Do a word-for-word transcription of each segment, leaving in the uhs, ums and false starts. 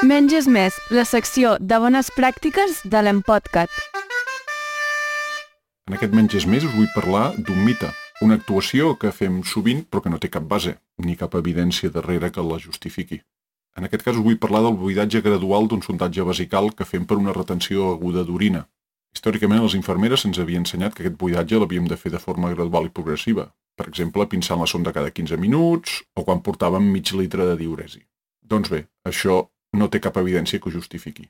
Menys és més, la secció de bones pràctiques de l'Empodcat. En aquest Menys és més us vull parlar d'un mite, una actuació que fem sovint però que no té cap base, ni cap evidència darrere que la justifiqui. En aquest cas us vull parlar del buidatge gradual d'un sondatge vesical que fem per una retenció aguda d'orina. Històricament les infermeres ens havien ensenyat que aquest buidatge l'havíem de fer de forma gradual i progressiva, per exemple pinçant la sonda cada quinze minuts o quan portàvem mig litre de diüresi. Doncs bé, això no té cap evidència que ho justifiqui.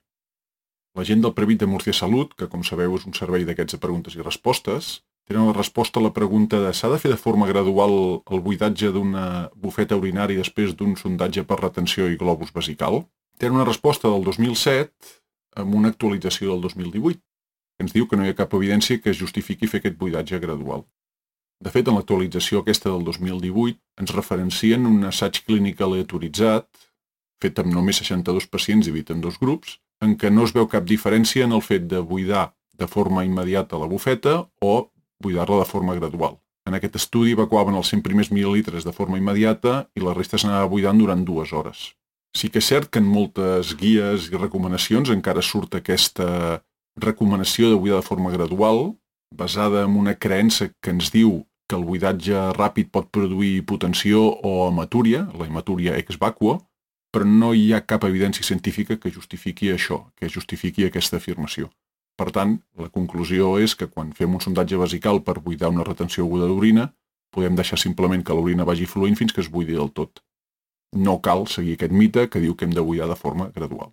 La gent del Previt de Murcia Salut, que com sabeu és un servei d'aquests de preguntes i respostes, tenen la resposta a la pregunta de s'ha de fer de forma gradual el buidatge d'una bufeta urinària després d'un sondatge per retenció i globus vesical? Tenen una resposta del dos mil set amb una actualització del dos mil divuit, que ens diu que no hi ha cap evidència que es justifiqui fer aquest buidatge gradual. De fet, en l'actualització aquesta del dos mil divuit ens referencien un assaig clínic aleatoritzat fet amb només seixanta-dos pacients dividit en dos grups, en què no es veu cap diferència en el fet de buidar de forma immediata la bufeta o buidar-la de forma gradual. En aquest estudi evacuaven els cent primers mil·lilitres de forma immediata i la resta s'anava buidant durant dues hores. Sí que és cert que en moltes guies i recomanacions encara surt aquesta recomanació de buidar de forma gradual, basada en una creença que ens diu que el buidatge ràpid pot produir hipotensió o hematúria, la hematúria ex vacuo, però no hi ha cap evidència científica que justifiqui això, que justifiqui aquesta afirmació. Per tant, la conclusió és que quan fem un sondatge vesical per buidar una retenció aguda d'orina, podem deixar simplement que l'orina vagi fluint fins que es buidi del tot. No cal seguir aquest mite que diu que hem de buidar de forma gradual.